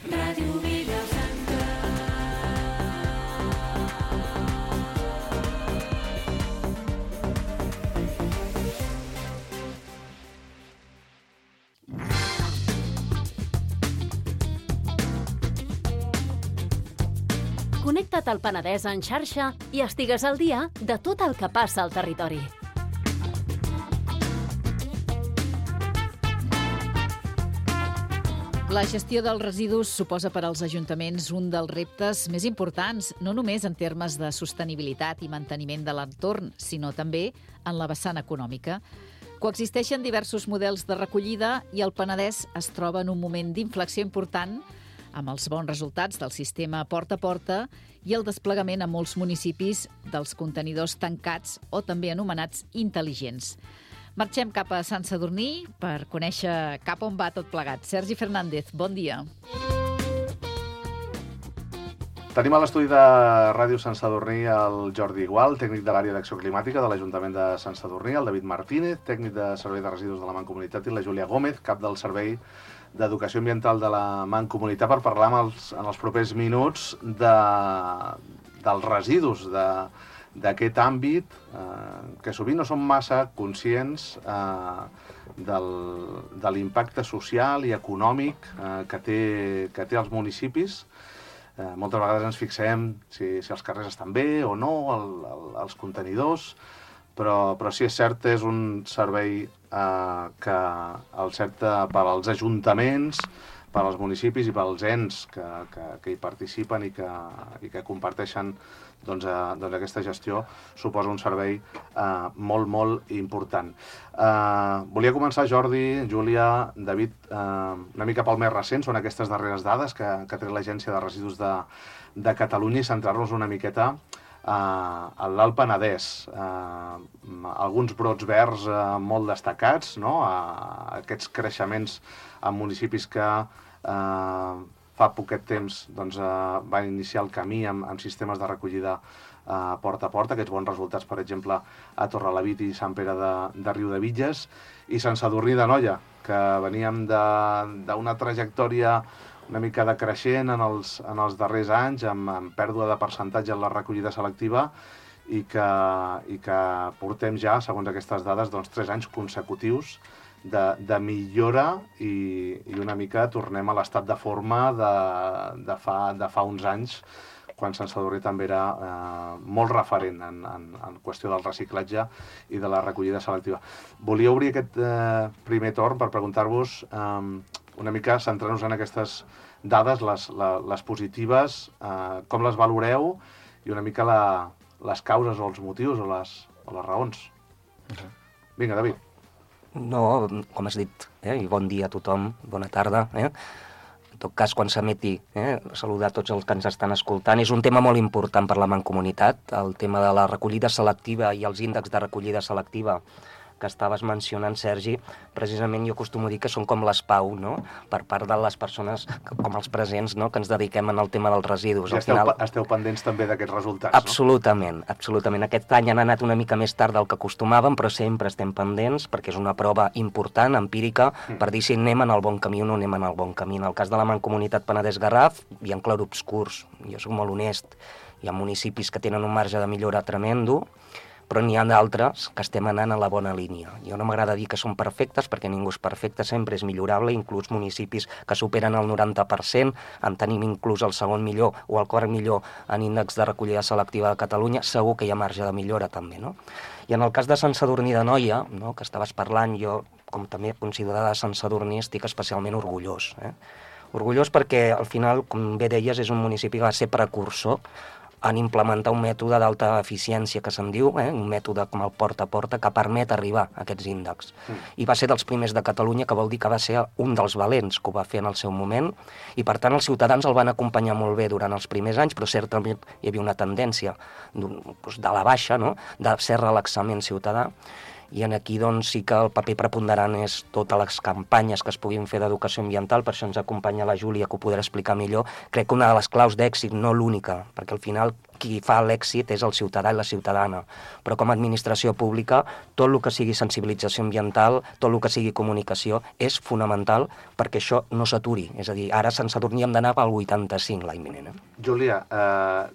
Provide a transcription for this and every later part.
Ràdio Vilafranca. Connecta't al Penedès en xarxa i estigues al dia de tot el que passa al territori. La gestió dels residus suposa per als ajuntaments un dels reptes més importants, no només en termes de sostenibilitat i manteniment de l'entorn, sinó també en la vessant econòmica. Coexisteixen diversos models de recollida i el Penedès es troba en un moment d'inflexió important amb els bons resultats del sistema porta a porta i el desplegament a molts municipis dels contenidors tancats o també anomenats intel·ligents. Marxem cap a Sant Sadurní per conèixer cap on va tot plegat. Sergi Fernández, bon dia. Tenim a l'estudi de Ràdio Sant Sadurní el Jordi Igual, tècnic de l'àrea d'acció climàtica de l'Ajuntament de Sant Sadurní, el David Martínez, tècnic de Servei de Residus de la Mancomunitat, i la Júlia Gómez, cap del Servei d'Educació Ambiental de la Mancomunitat, per parlar en els propers minuts dels residus, d'aquest àmbit que sovint no som massa conscients de l'impacte social i econòmic que té als municipis. Moltes vegades ens fixem si els carrers estan bé o no, els contenidors, però sí és cert, és un servei que el certa per als ajuntaments, per als municipis i pels ens que hi participen i que comparteixen aquesta gestió, suposa un servei molt, molt important. Volia començar, Jordi, Júlia, David, una mica pel més recent, són aquestes darreres dades que ha tret l'Agència de Residus de Catalunya, i centrar-nos una miqueta a l'Alt Penedès. Alguns brots verds molt destacats, no? Aquests creixements en municipis que fa poquet temps van iniciar el camí amb sistemes de recollida porta a porta, aquests bons resultats, per exemple, a Torrelavit i Sant Pere de Riudebitlles, i Sant Sadurní d'Anoia, que veníem d'una trajectòria una mica decreixent en els darrers anys, amb pèrdua de percentatge en la recollida selectiva, i que portem ja, segons aquestes dades, 3 anys consecutius de millora, i una mica tornem a l'estat de forma de fa uns anys, quan Sant Sadurní també era molt referent en qüestió del reciclatge i de la recollida selectiva. Volia obrir aquest primer torn per preguntar-vos una mica, centrar-nos en aquestes dades, les positives, com les valoreu, i una mica les causes o els motius o les raons. Vinga, David. No, com has dit, i bon dia a tothom, bona tarda. En tot cas, quan s'emeti, saludar tots els que ens estan escoltant. És un tema molt important per la Mancomunitat, el tema de la recollida selectiva i els índexs de recollida selectiva que estaves mencionant, Sergi. Precisament jo acostumo a dir que són com les PAU, no? Per part de les persones, com els presents, no? Que ens dediquem al tema dels residus. Esteu pendents també d'aquests resultats, absolutament, no? Absolutament. Aquest any han anat una mica més tard del que acostumàvem, però sempre estem pendents, perquè és una prova important, empírica, per dir si anem en el bon camí o no anem en el bon camí. En el cas de la Mancomunitat Penedès-Garraf, hi ha clarobscurs. Jo soc molt honest. Hi ha municipis que tenen un marge de millora tremendo, però n'hi ha d'altres que estem anant a la bona línia. Jo no m'agrada dir que són perfectes, perquè ningú és perfecte, sempre és millorable, inclús municipis que superen el 90%, en tenim inclús el segon millor o el quart millor en índex de recollida selectiva de Catalunya, segur que hi ha marge de millora també, no? I en el cas de Sant Sadurní d'Anoia, no, que estaves parlant, jo, com també considerada Sant Sadurní, estic especialment orgullós. Orgullós perquè, al final, com bé deies, és un municipi que va ser precursor en implementar un mètode d'alta eficiència, que se'n diu, un mètode com el porta a porta, que permet arribar a aquests índexs. I va ser dels primers de Catalunya, que vol dir que va ser un dels valents que ho va fer en el seu moment, i per tant els ciutadans el van acompanyar molt bé durant els primers anys, però certament hi havia una tendència de la baixa, no? De ser relaxament ciutadà, I aquí doncs, sí que el paper preponderant és totes les campanyes que es puguin fer d'educació ambiental, per això ens acompanya la Júlia, que ho podrà explicar millor. Crec que una de les claus d'èxit, no l'única, perquè al final qui fa l'èxit és el ciutadà i la ciutadana, però com a administració pública tot el que sigui sensibilització ambiental, tot el que sigui comunicació és fonamental perquè això no s'aturi. És a dir, ara a Sant Sadurní hem d'anar pel 85 l'any vinent. Júlia,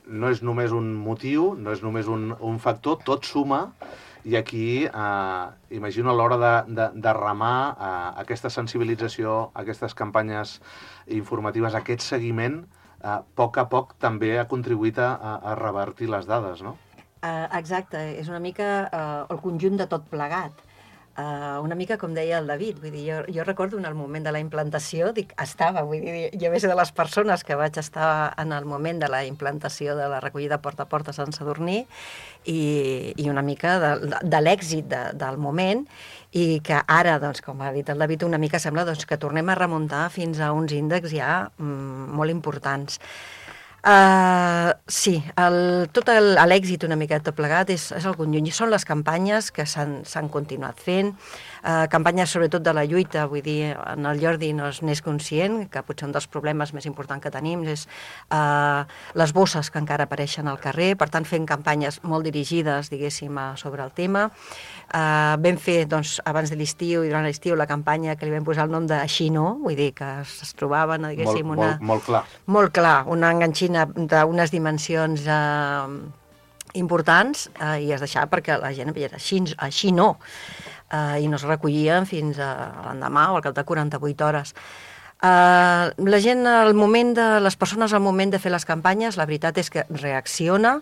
no és només un motiu, no és només un factor, tot suma. I aquí, imagino, a l'hora de remar aquesta sensibilització, aquestes campanyes informatives, aquest seguiment, a poc també ha contribuït a revertir les dades, no? Exacte, és una mica el conjunt de tot plegat. Una mica com deia el David, vull dir, jo recordo en el moment de la implantació, vull dir, jo vaig ser de les persones que vaig estar en el moment de la implantació de la recollida porta a porta a Sant Sadurní i una mica de l'èxit del moment i que ara, doncs, com ha dit el David, una mica sembla doncs, que tornem a remuntar fins a uns índexs ja molt importants. Sí, tot l'èxit una mica tot plegat és el conjunt. I són les campanyes que s'han continuat fent, campanyes sobretot de la lluita, vull dir, en el Jordi no n'és conscient, que potser un dels problemes més importants que tenim és les bosses que encara apareixen al carrer, per tant fent campanyes molt dirigides, diguéssim, sobre el tema. Vam fer, doncs, abans de l'estiu i durant l'estiu la campanya que li vam posar el nom de Així no, vull dir, que es trobaven, diguéssim, molt clar. Molt clar, una enganxina d'unes dimensions importants i es deixava perquè la gent veia així no, i no es recollien fins a l'endemà o al cap de 48 hores. La gent, les persones al moment de fer les campanyes, la veritat és que reacciona,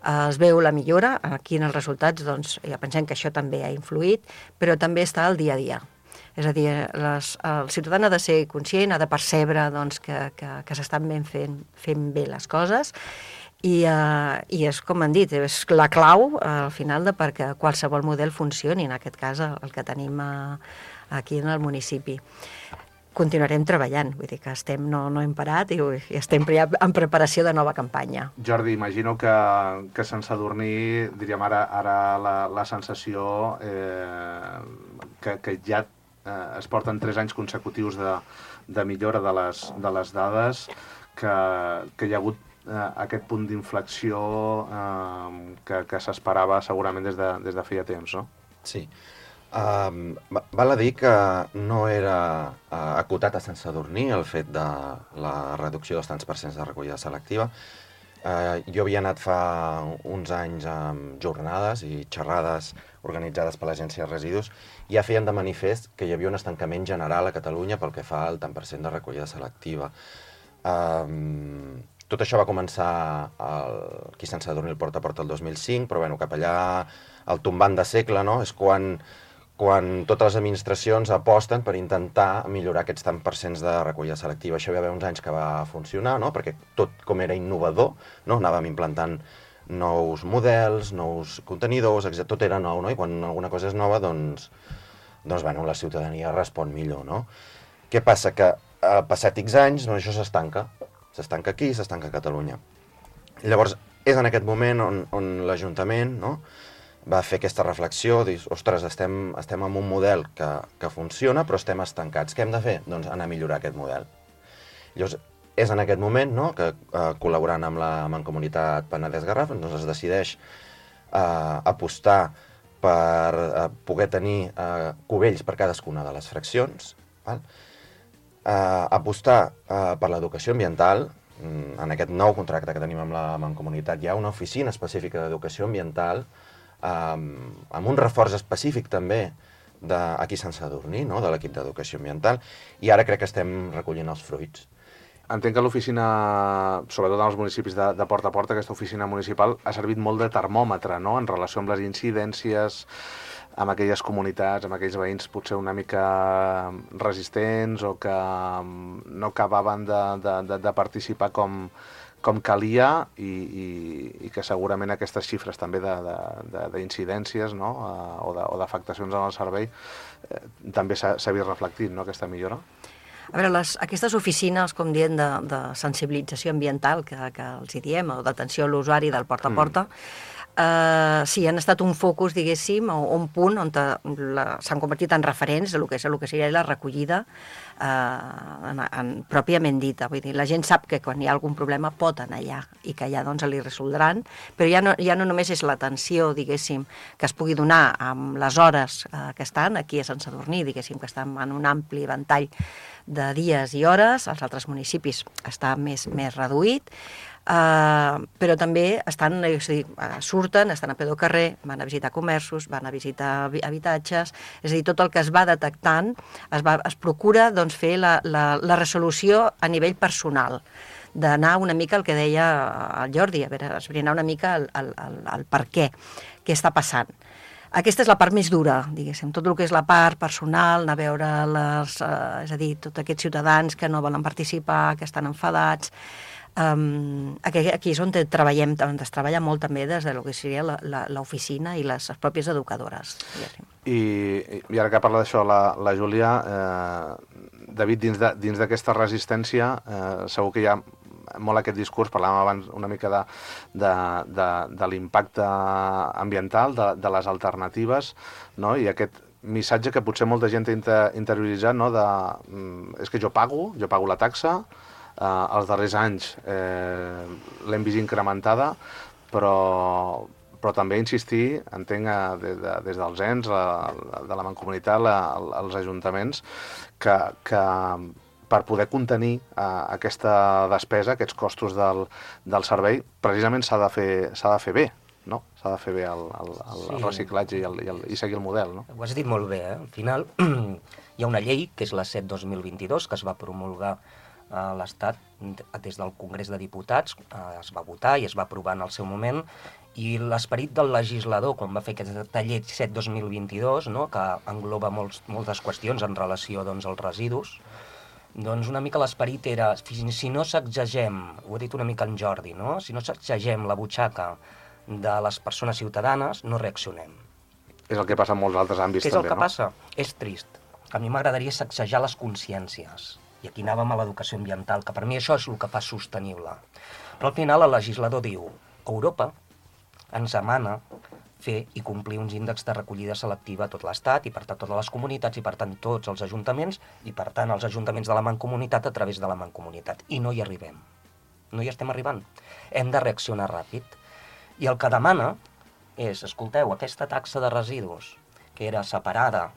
es veu la millora, aquí en els resultats doncs, ja pensem que això també ha influït, però també està al dia a dia. És a dir, el ciutadà ha de ser conscient, ha de percebre doncs, que s'estan fent bé les coses i és, com han dit, és la clau al final perquè qualsevol model funcioni, en aquest cas el que tenim aquí en el municipi. Continuarem treballant, vull dir que no hem parat i estem ja en preparació de nova campanya. Jordi, imagino que Sant Sadurní, diríem ara la sensació que ja es porten 3 anys consecutius de millora de les dades, que hi ha hagut aquest punt d'inflexió que s'esperava segurament des de feia temps, no? Sí. Val a dir que no era acotat a Sant Sadurní el fet de la reducció dels tants % de recollida selectiva. Jo havia anat fa uns anys amb jornades i xerrades organitzades per l'Agència de Residus i ja feien de manifest que hi havia un estancament general a Catalunya pel que fa al tant % de recollida selectiva. Tot això va començar aquí a Sant Sadurní el porta a porta el 2005, però bueno, cap allà al tombant de segle, no? És quan totes les administracions aposten per intentar millorar aquests tant % de recollida selectiva. Això hi va haver uns anys que va funcionar, no? Perquè tot com era innovador, no? Anàvem implantant nous models, nous contenidors, tot era nou, no? I quan alguna cosa és nova, doncs bueno, la ciutadania respon millor, no? Què passa? Que passat X anys, doncs això s'estanca. S'estanca aquí, s'estanca a Catalunya. Llavors, és en aquest moment on l'Ajuntament, no?, va fer aquesta reflexió, dir, ostres, estem en un model que funciona, però estem estancats. Què hem de fer? Doncs anar a millorar aquest model. Llavors, és en aquest moment, no?, que col·laborant amb la Mancomunitat Penedès-Garraf, doncs es decideix apostar per poder tenir cubells per cadascuna de les fraccions, val? Apostar per l'educació ambiental. En aquest nou contracte que tenim amb la Mancomunitat hi ha una oficina específica d'educació ambiental amb un reforç específic també aquí a Sant Sadurní, no?, de l'equip d'educació ambiental, i ara crec que estem recollint els fruits. Entenc que l'oficina, sobretot en els municipis de porta a porta, aquesta oficina municipal ha servit molt de termòmetre, no?, en relació amb les incidències, amb aquelles comunitats, amb aquells veïns potser una mica resistents o que no acabaven de participar com calia i que segurament aquestes xifres també d'incidències, no?, o d'afectacions en el servei també s'ha vist reflectit, no?, aquesta millora. A veure, aquestes oficines, com diem, de sensibilització ambiental, que els hi diem, o d'atenció a l'usuari del porta a porta, sí, han estat un focus, diguéssim, o un punt on s'han convertit en referents del que seria la recollida pròpiament dita. Vull dir, la gent sap que quan hi ha algun problema pot anar allà i que allà doncs li resoldran, però ja no només és l'atenció, diguéssim, que es pugui donar amb les hores que estan aquí a Sant Sadurní, diguéssim, que estan en un ampli ventall de dies i hores, als altres municipis està més reduït, però també surten, estan a peu del carrer, van a visitar comerços, van a visitar habitatges, és a dir, tot el que es va detectant es procura doncs, fer la resolució a nivell personal, d'anar una mica al que deia el Jordi, a veure, esbrinar una mica el per què està passant. Aquesta és la part més dura, diguéssim, tot el que és la part personal, anar a veure és a dir, tots aquests ciutadans que no volen participar, que estan enfadats. Aquí és on es treballa molt també des de lo que seria l'oficina i les pròpies educadores. I ara que parla d'això la Júlia, David, dins d'aquesta resistència segur que hi ha molt aquest discurs, parlàvem abans una mica de l'impacte ambiental, de les alternatives, no? I aquest missatge que potser molta gent ha interioritzat, no? És que jo pago la taxa, els darrers anys l'hem vist incrementada, però també insistir, entenc, des dels ens, de la Mancomunitat, als ajuntaments, que per poder contenir aquesta despesa, aquests costos del servei, precisament s'ha de fer bé, no? S'ha de fer bé el reciclatge i seguir el model, no? Ho has dit molt bé, eh? Al final hi ha una llei, que és la 7/2022, que es va promulgar a l'Estat des del Congrés de Diputats, es va votar i es va aprovar en el seu moment, i l'esperit del legislador, quan va fer aquesta llei 7/2022, no? Que engloba moltes qüestions en relació als residus, doncs una mica l'esperit era, si no sacsegem, ho ha dit una mica en Jordi, no? Si no sacsegem la butxaca de les persones ciutadanes, no reaccionem. És el que passa en molts altres àmbits també, no? Què és el que passa? És trist. A mi m'agradaria sacsejar les consciències. I aquí anàvem a l'educació ambiental, que per mi això és el que fa sostenible. Però al final el legislador diu, Europa ens demana fer i complir uns índexs de recollida selectiva a tot l'Estat i per tant totes les comunitats i per tant tots els ajuntaments i per tant els ajuntaments de la Mancomunitat a través de la Mancomunitat. I no hi arribem. No hi estem arribant. Hem de reaccionar ràpid. I el que demana és, escolteu, aquesta taxa de residus que era separada,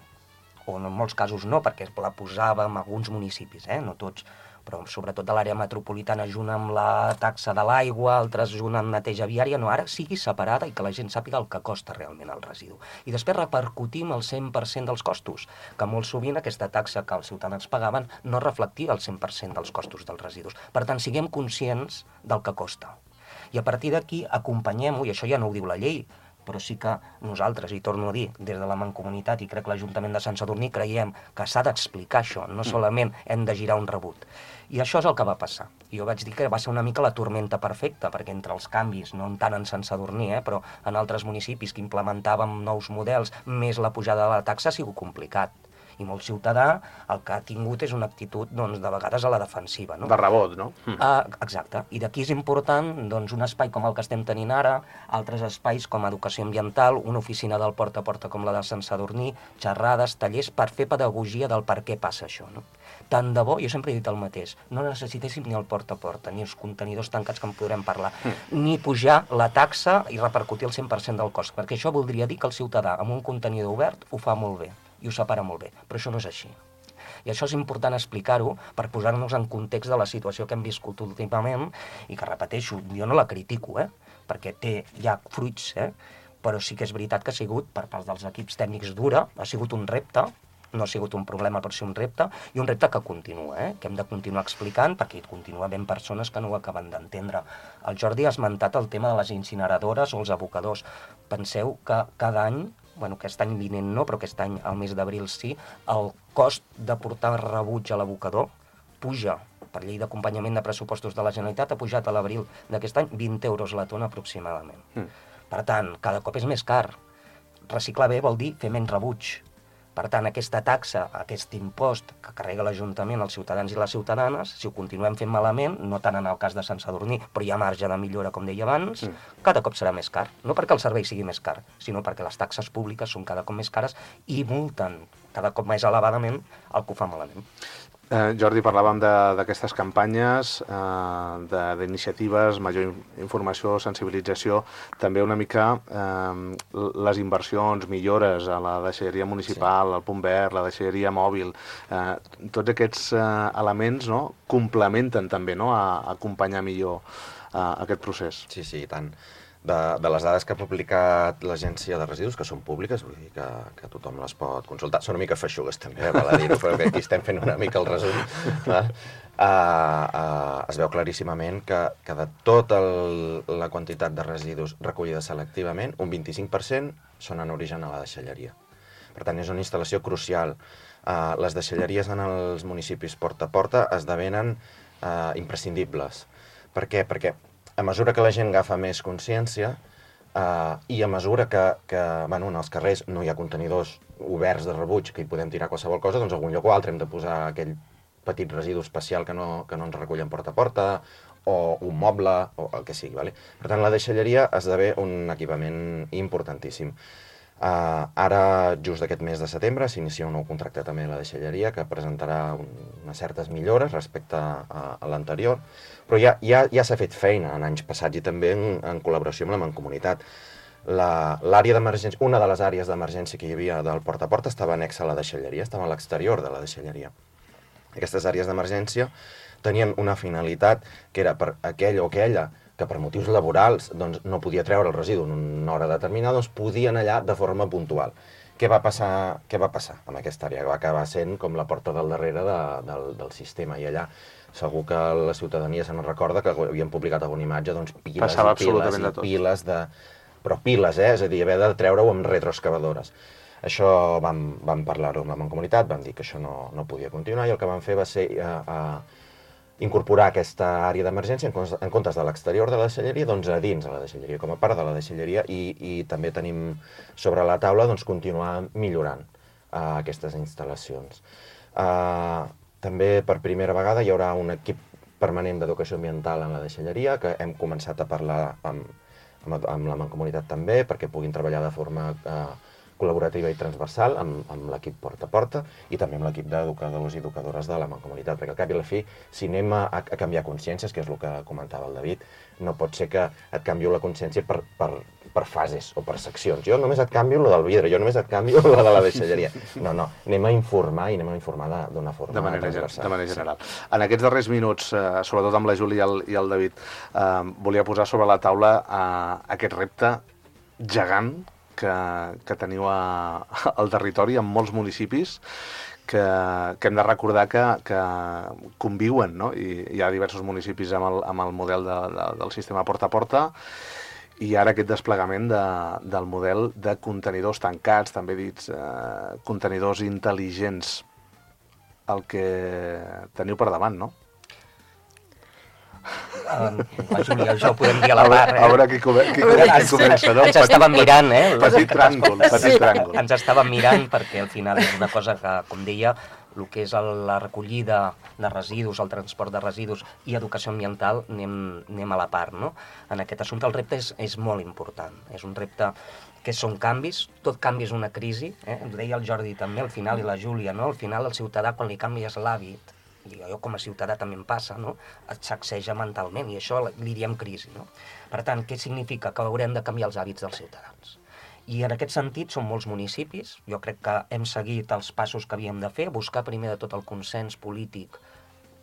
o en molts casos no, perquè la posàvem a alguns municipis, no tots, però sobretot de l'àrea metropolitana junt amb la taxa de l'aigua, altres junt amb neteja viària, no, ara sigui separada i que la gent sàpiga el que costa realment el residu. I després repercutim el 100% dels costos, que molt sovint aquesta taxa que els ciutadans pagaven no reflectia el 100% dels costos dels residus. Per tant, siguem conscients del que costa. I a partir d'aquí acompanyem-ho, i això ja no ho diu la llei, però sí que nosaltres, i torno a dir, des de la Mancomunitat i crec que l'Ajuntament de Sant Sadurní creiem que s'ha d'explicar això, no solament hem de girar un rebut. I això és el que va passar. I jo vaig dir que va ser una mica la tormenta perfecta, perquè entre els canvis, no tant en Sant Sadurní, però en altres municipis que implementàvem nous models, més la pujada de la taxa, ha sigut complicat. I molt ciutadà el que ha tingut és una actitud, doncs, de vegades a la defensiva, no? De rebot, no? Exacte. I d'aquí és important, doncs, un espai com el que estem tenint ara, altres espais com educació ambiental, una oficina del porta a porta com la de Sant Sadurní, xerrades, tallers, per fer pedagogia del per què passa això, no? Tant de bo, jo sempre he dit el mateix, no necessitéssim ni el porta a porta, ni els contenidors tancats que en podrem parlar, ni pujar la taxa i repercutir el 100% del cost, perquè això voldria dir que el ciutadà amb un contenidor obert ho fa molt bé i ho separa molt bé, però això no és així. I això és important explicar-ho per posar-nos en context de la situació que hem viscut últimament i que, repeteixo, jo no la critico, perquè hi ha fruits, però sí que és veritat que ha sigut, per part dels equips tècnics dura, ha sigut un repte, no ha sigut un problema, però sí un repte, i un repte que continua, que hem de continuar explicant, perquè hi continua havent persones que no ho acaben d'entendre. El Jordi ha esmentat el tema de les incineradores o els abocadors. Penseu que cada any, aquest any vinent no, però aquest any, al mes d'abril sí, el cost de portar rebuig a l'abocador puja, per llei d'acompanyament de pressupostos de la Generalitat, ha pujat a l'abril d'aquest any 20 euros la tona aproximadament. Per tant, cada cop és més car. Reciclar bé vol dir fer menys rebuig. Per tant, aquesta taxa, aquest impost que carrega l'Ajuntament als ciutadans i les ciutadanes, si ho continuem fent malament, no tant en el cas de Sant Sadurní, però hi ha marge de millora, com deia abans, cada cop serà més car. No perquè el servei sigui més car, sinó perquè les taxes públiques són cada cop més cares i multen cada cop més elevadament el que ho fa malament. Jordi, parlàvem d'aquestes campanyes, d'iniciatives, major informació, sensibilització, també una mica les inversions, millores a la deixalleria municipal, al punt verd, la deixalleria mòbil, tots aquests elements, no, complementen també, no, a acompanyar millor aquest procés. Sí, i tant. De les dades que ha publicat l'Agència de Residus, que són públiques, vull dir que tothom les pot consultar. Són una mica feixugues, també, val a dir-ho, però que aquí estem fent una mica el resum. Es veu claríssimament que de tota la quantitat de residus recollida selectivament, un 25% són en origen a la deixalleria. Per tant, és una instal·lació crucial. Les deixalleries en els municipis porta a porta esdevenen imprescindibles. Per què? Perquè a mesura que la gent agafa més consciència i a mesura que en els carrers no hi ha contenidors oberts de rebuig que hi podem tirar qualsevol cosa, doncs a algun lloc o altre hem de posar aquell petit residu especial que no ens recullen porta a porta o un moble o el que sigui. Vale? Per tant, la deixalleria esdevé un equipament importantíssim. Ara, just aquest mes de setembre, s'inicia un nou contracte també a la deixalleria que presentarà unes certes millores respecte a l'anterior, però ja s'ha fet feina en anys passats i també en col·laboració amb la Mancomunitat. L'àrea d'emergència, una de les àrees d'emergència que hi havia del porta a porta estava anexa a la deixalleria, estava a l'exterior de la deixalleria. Aquestes àrees d'emergència tenien una finalitat que era per aquell o aquella que per motius laborals doncs, no podia treure el residu en una hora determinada, doncs podien allà de forma puntual. Què va passar amb aquesta àrea? Va acabar sent com la porta del darrere del sistema, i allà segur que la ciutadania se n'en recorda que havien publicat alguna imatge, doncs piles i piles de... Però piles, és a dir, haver de treure-ho amb retroexcavadores. Això vam parlar-ho amb la Mancomunitat, vam dir que això no podia continuar, i el que vam fer va ser incorporar aquesta àrea d'emergència en comptes de l'exterior de la deixalleria, doncs a dins de la deixalleria, com a part de la deixalleria, i també tenim sobre la taula doncs, continuar millorant aquestes instal·lacions. També per primera vegada hi haurà un equip permanent d'educació ambiental en la deixalleria, que hem començat a parlar amb la Mancomunitat també, perquè puguin treballar de forma col·laborativa i transversal amb l'equip porta a porta i també amb l'equip d'educadors i educadores de la Mancomunitat, perquè al cap i a la fi, si anem a canviar consciències, que és el que comentava el David, no pot ser que et canvio la consciència per fases o per seccions. Jo només et canvio la del vidre, jo només et canvio la de la deixalleria. No, anem a informar i anem a informar d'una forma transversal. De manera general. En aquests darrers minuts, sobretot amb la Júlia i el David, volia posar sobre la taula aquest repte gegant que teniu al territori, en molts municipis, que hem de recordar que conviuen, no? I hi ha diversos municipis amb el model del sistema porta a porta, i ara aquest desplegament del model de contenidors tancats, també dits contenidors intel·ligents, el que teniu per davant, no? La Júlia, això ho podem dir a la part, A veure qui comença, no? Ens estàvem mirant, Petit tràngol. Ens estàvem mirant perquè al final és una cosa que, com deia, el que és la recollida de residus, el transport de residus i educació ambiental, anem a la part, no? En aquest assumpte el repte és molt important. És un repte que són canvis, tot canvi és una crisi, Ens deia el Jordi també, al final, i la Júlia, no? Al final el ciutadà, quan li canvies l'hàbit, i allò com a ciutadà també em passa, no? Et sacseja mentalment, i això li diem crisi, no? Per tant, què significa? Que haurem de canviar els hàbits dels ciutadans. I en aquest sentit són molts municipis, jo crec que hem seguit els passos que havíem de fer, buscar primer de tot el consens polític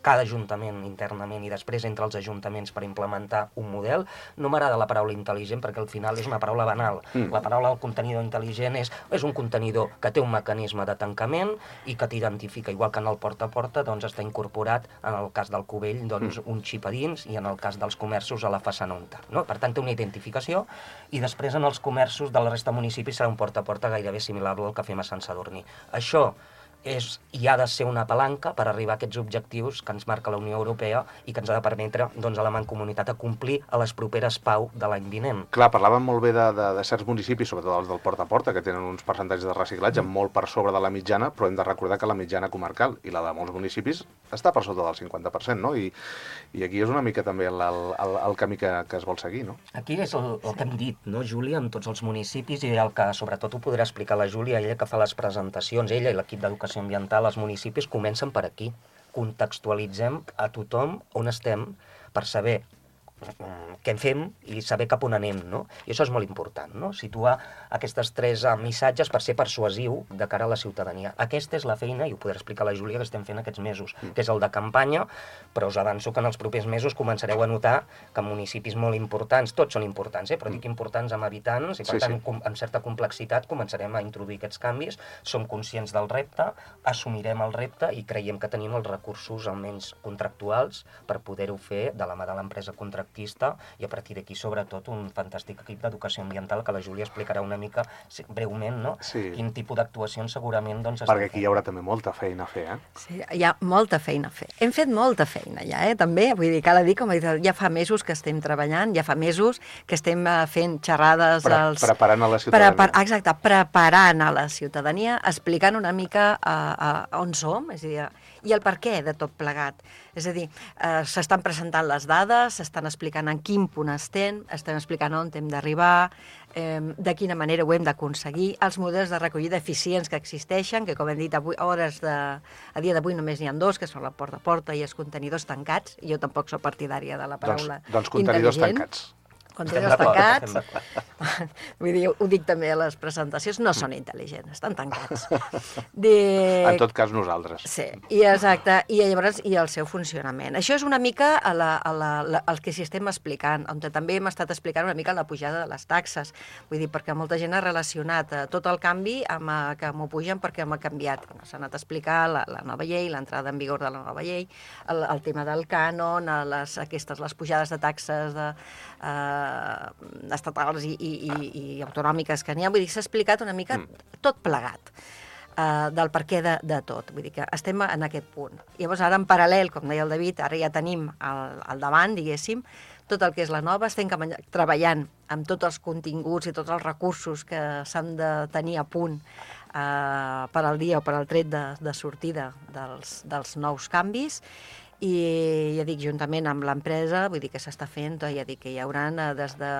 cada ajuntament internament i després entre els ajuntaments per implementar un model. No m'agrada la paraula intel·ligent perquè al final és una paraula banal. La paraula del contenidor intel·ligent és un contenidor que té un mecanisme de tancament i que t'identifica, igual que en el porta a porta doncs està incorporat, en el cas del Cubell, doncs un xip a dins i en el cas dels comerços a la façana untar, no? Per tant, té una identificació i després en els comerços de la resta de municipis serà un porta a porta gairebé similar al que fem a Sant Sadurní. Això hi ha de ser una palanca per arribar a aquests objectius que ens marca la Unió Europea i que ens ha de permetre a la Mancomunitat a complir a les properes PAU de l'any vinent. Clar, parlàvem molt bé de certs municipis, sobretot els del porta a porta, que tenen uns percentatges de reciclatge molt per sobre de la mitjana, però hem de recordar que la mitjana comarcal i la de molts municipis està per sota del 50%, no? I aquí és una mica també el camí que es vol seguir, no? Aquí és el que hem dit, no, Júlia, amb tots els municipis, i el que sobretot ho podrà explicar la Júlia, ella que fa les presentacions, ella i l'equip d'educació ambiental, els municipis comencen per aquí. Contextualitzem a tothom on estem per saber què en fem i saber cap on anem, no? I això és molt important, no? Situar aquestes 3 missatges per ser persuasiu de cara a la ciutadania. Aquesta és la feina, i ho podrà explicar la Júlia, que estem fent aquests mesos, que és el de campanya, però us avanço que en els propers mesos començareu a notar que municipis molt importants, tots són importants, però dic importants amb habitants, i per tant, amb certa complexitat, començarem a introduir aquests canvis, som conscients del repte, assumirem el repte i creiem que tenim els recursos almenys contractuals per poder-ho fer de la mà de l'empresa contractual i a partir d'aquí, sobretot, un fantàstic equip d'educació ambiental que la Júlia explicarà una mica breument, no? Sí. Quin tipus d'actuacions segurament perquè aquí hi haurà també molta feina a fer, Sí, hi ha molta feina a fer. Hem fet molta feina ja, també, vull dir, cal dir, com he dit, ja fa mesos que estem treballant, ja fa mesos que estem fent xerrades preparant a la ciutadania. Exacte, preparant a la ciutadania, explicant una mica on som, és a dir, i el per què de tot plegat. És a dir, s'estan presentant les dades, s'estan explicant en quin punt estem explicant on hem d'arribar, de quina manera ho hem d'aconseguir, els models de recollida eficients que existeixen, que com hem dit, a dia d'avui només n'hi ha 2, que són la porta a porta i els contenidors tancats, i jo tampoc soc partidària de la paraula doncs contenidors tancats. Contenidors tancats, vull dir, ho dic també a les presentacions, no són intel·ligents, estan tancats. En tot cas, nosaltres. Sí, i exacte, i llavors i el seu funcionament. Això és una mica el que s'hi estem explicant, on també hem estat explicant una mica la pujada de les taxes, vull dir, perquè molta gent ha relacionat tot el canvi amb que m'ho pugen perquè m'ha canviat. S'ha anat a explicar la nova llei, l'entrada en vigor de la nova llei, el tema del cànon, les pujades de taxes estatals i autonòmiques que n'hi ha. Vull dir, s'ha explicat una mica tot plegat del per què de tot. Vull dir que estem en aquest punt. Llavors, ara en paral·lel, com deia el David, ara ja tenim al davant, diguéssim, tot el que és la nova, estem treballant amb tots els continguts i tots els recursos que s'han de tenir a punt per al dia o per al tret de sortida dels nous canvis. I ja dic, juntament amb l'empresa, vull dir que s'està fent, ja dic que hi haurà des de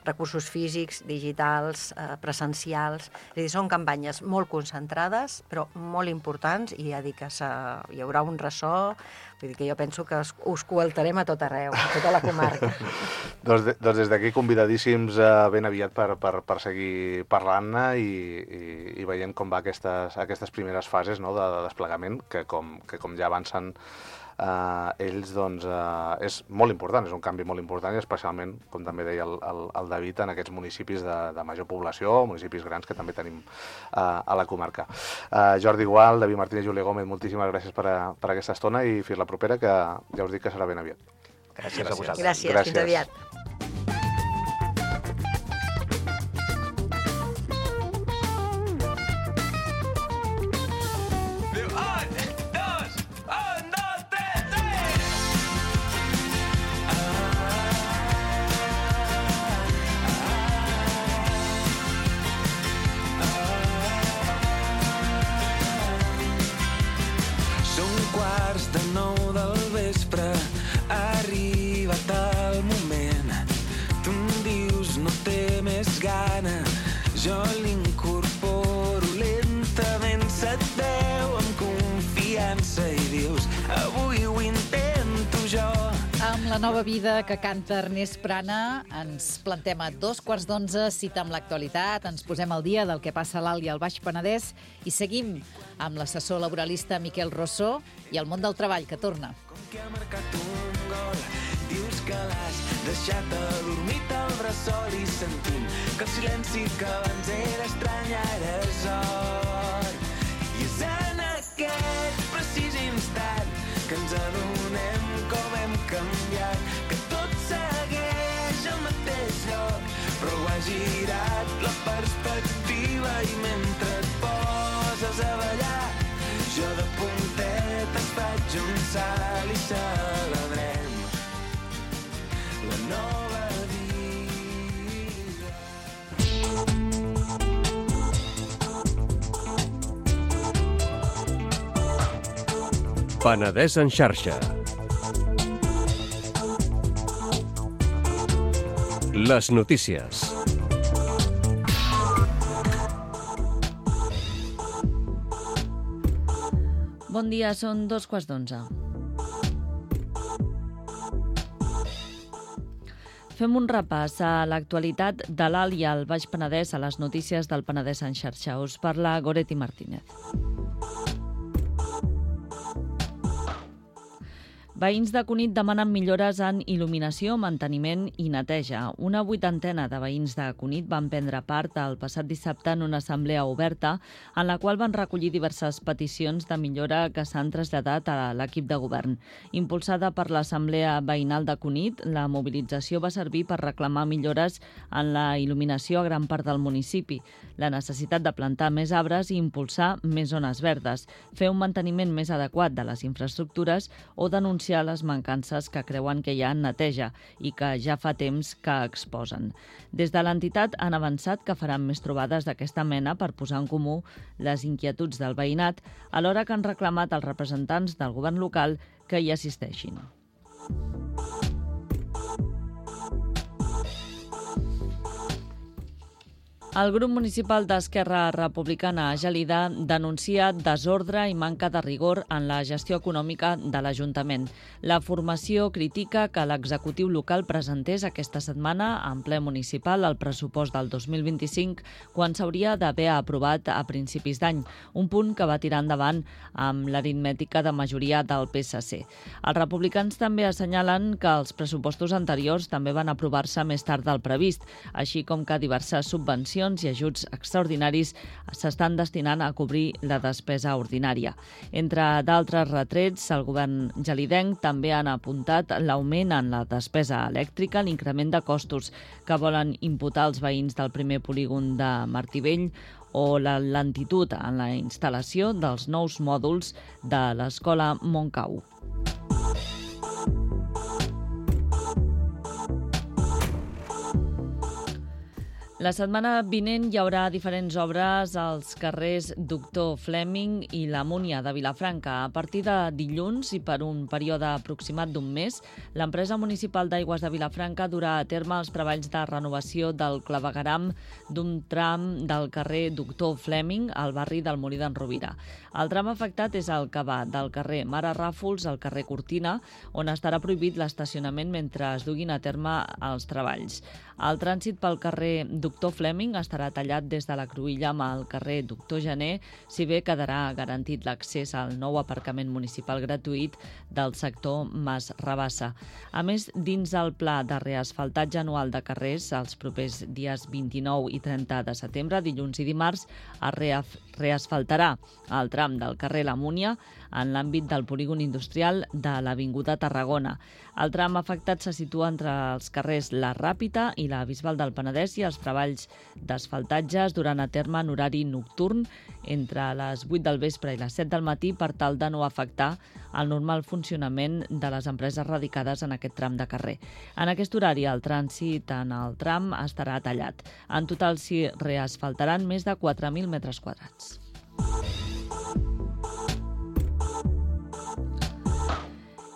recursos físics, digitals, presencials, és a dir, són campanyes molt concentrades, però molt importants, i ja dic que hi haurà un ressò, vull dir que jo penso que us coaltarem a tot arreu, a tota la comarca. Doncs des d'aquí convidadíssims ben aviat per seguir parlant-ne i veient com va aquestes primeres fases de desplegament, que com ja avancen ells, doncs, és molt important, és un canvi molt important, i especialment, com també deia el David, en aquests municipis de major població, municipis grans que també tenim a la comarca. Jordi Gual, David Martínez, Júlia Gómez, moltíssimes gràcies per aquesta estona i fins la propera, que ja us dic que serà ben aviat. Gràcies a vosaltres. Gràcies, fins aviat. Jo l'incorporo lentament, se't veu amb confiança i dius, avui ho intento jo. Amb la nova vida que canta Ernest Prana, ens plantem a 11:15, cita amb l'actualitat, ens posem al dia del que passa a l'Alt i al Baix Penedès i seguim amb l'assessor laboralista Miquel Rossó i el món del treball, que torna. Com que ha marcat un gol, dius que l'has deixat adormit al bressol i sentim que el silenci que abans era estrany ara és or. I és en aquest precís instant que ens adonem com hem canviat, que tot segueix al mateix lloc, però ho ha girat la perspectiva i mentre et poses a ballar Jo de puntetes faig un salt i celebrem la nova vida. Penedès en xarxa. Les notícies. Bon dia, són 2:15. Fem un repàs a l'actualitat de l'Alt i el Baix Penedès a les notícies del Penedès en xarxa. Us parla Goretti Martínez. Veïns de Cunit demanen millores en il·luminació, manteniment i neteja. Una 80ena de veïns de Cunit van prendre part el passat dissabte en una assemblea oberta en la qual van recollir diverses peticions de millora que s'han traslladat a l'equip de govern. Impulsada per l'Assemblea Veïnal de Cunit, la mobilització va servir per reclamar millores en la il·luminació a gran part del municipi, la necessitat de plantar més arbres i impulsar més zones verdes, fer un manteniment més adequat de les infraestructures o denunciar les mancances que creuen que hi ha en neteja i que ja fa temps que exposen. Des de l'entitat han avançat que faran més trobades d'aquesta mena per posar en comú les inquietuds del veïnat, alhora que han reclamat als representants del govern local que hi assisteixin. El grup municipal d'Esquerra Republicana a Gelida denuncia desordre i manca de rigor en la gestió econòmica de l'Ajuntament. La formació critica que l'executiu local presentés aquesta setmana en ple municipal el pressupost del 2025 quan s'hauria d'haver aprovat a principis d'any, un punt que va tirar endavant amb l'aritmètica de majoria del PSC. Els republicans també assenyalen que els pressupostos anteriors també van aprovar-se més tard del previst, així com que diverses subvencions i ajuts extraordinaris s'estan destinant a cobrir la despesa ordinària. Entre d'altres retrets, el govern gelidenc també han apuntat l'augment en la despesa elèctrica, l'increment de costos que volen imputar els veïns del primer polígon de Martivell o la lentitud en la instal·lació dels nous mòduls de l'escola Montcau. La setmana vinent hi haurà diferents obres als carrers Doctor Fleming i la Múnia de Vilafranca. A partir de dilluns i per un període aproximat d'un mes, l'empresa municipal d'aigües de Vilafranca durà a terme els treballs de renovació del clavegueram d'un tram del carrer Doctor Fleming al barri del Molí d'en Rovira. El tram afectat és el que va del carrer Mare Ràfols al carrer Cortina, on estarà prohibit l'estacionament mentre es duguin a terme els treballs. El trànsit pel carrer Doctor Fleming estarà tallat des de la Cruïlla amb el carrer Doctor Gener, si bé quedarà garantit l'accés al nou aparcament municipal gratuït del sector Mas Rabassa. A més, dins el pla de reasfaltatge anual de carrers, els propers dies 29 i 30 de setembre, dilluns i dimarts, es reasfaltarà el tram del carrer La Múnia en l'àmbit del polígon industrial de l'Avinguda Tarragona. El tram afectat se situa entre els carrers La Ràpita i la Bisbal del Penedès i els treballs d'asfaltatge es duran a terme en horari nocturn entre les 8 del vespre i les 7 del matí per tal de no afectar el normal funcionament de les empreses radicades en aquest tram de carrer. En aquest horari el trànsit en el tram estarà tallat. En total s'hi reasfaltaran més de 4.000 metres quadrats.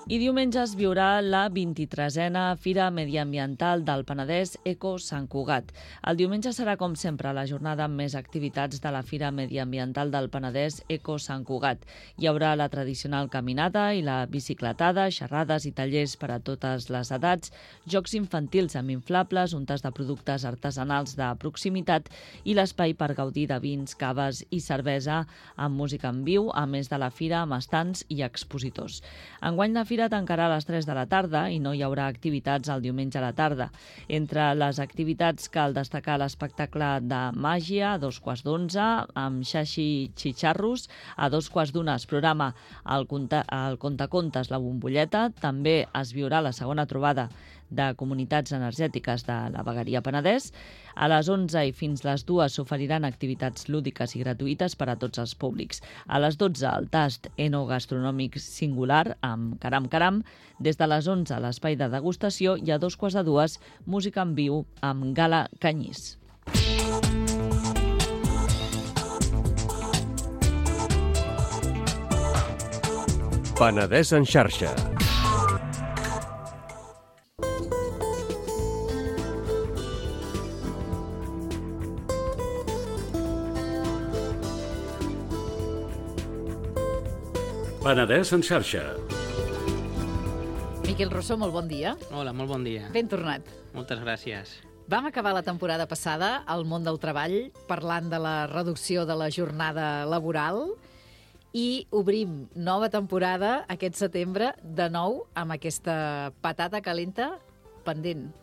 I diumenge es viurà la 23a Fira Mediambiental del Penedès Eco Sant Cugat. El diumenge serà, com sempre, la jornada amb més activitats de la Fira Mediambiental del Penedès Eco Sant Cugat. Hi haurà la tradicional caminada i la bicicletada, xerrades i tallers per a totes les edats, jocs infantils amb inflables, un tas de productes artesanals de proximitat i l'espai per gaudir de vins, caves i cervesa amb música en viu, a més de la fira amb estants i expositors. Enguany la fira tancarà a les 3 de la tarda i no hi haurà activitats el diumenge a la tarda. Entre les activitats cal destacar l'espectacle de màgia a 11:15 amb Xaxi Xitxarros, a 2:15 es programa el Contacontes La Bombolleta, també es viurà la segona trobada de comunitats energètiques de la Vegueria Penedès. A les 11 i fins les 2 s'oferiran activitats lúdiques i gratuïtes per a tots els públics. A les 12 el tast enogastronòmic singular amb Caram Caram. Des de les 11 a l'espai de degustació i a 2:45 música en viu amb Gala Canyís. Penedès en xarxa. Penedès en xarxa. Miquel Rossó, molt bon dia. Hola, molt bon dia. Ben tornat. Moltes gràcies. Vam acabar la temporada passada al món del treball parlant de la reducció de la jornada laboral i obrim nova temporada aquest setembre de nou amb aquesta patata calenta pendent.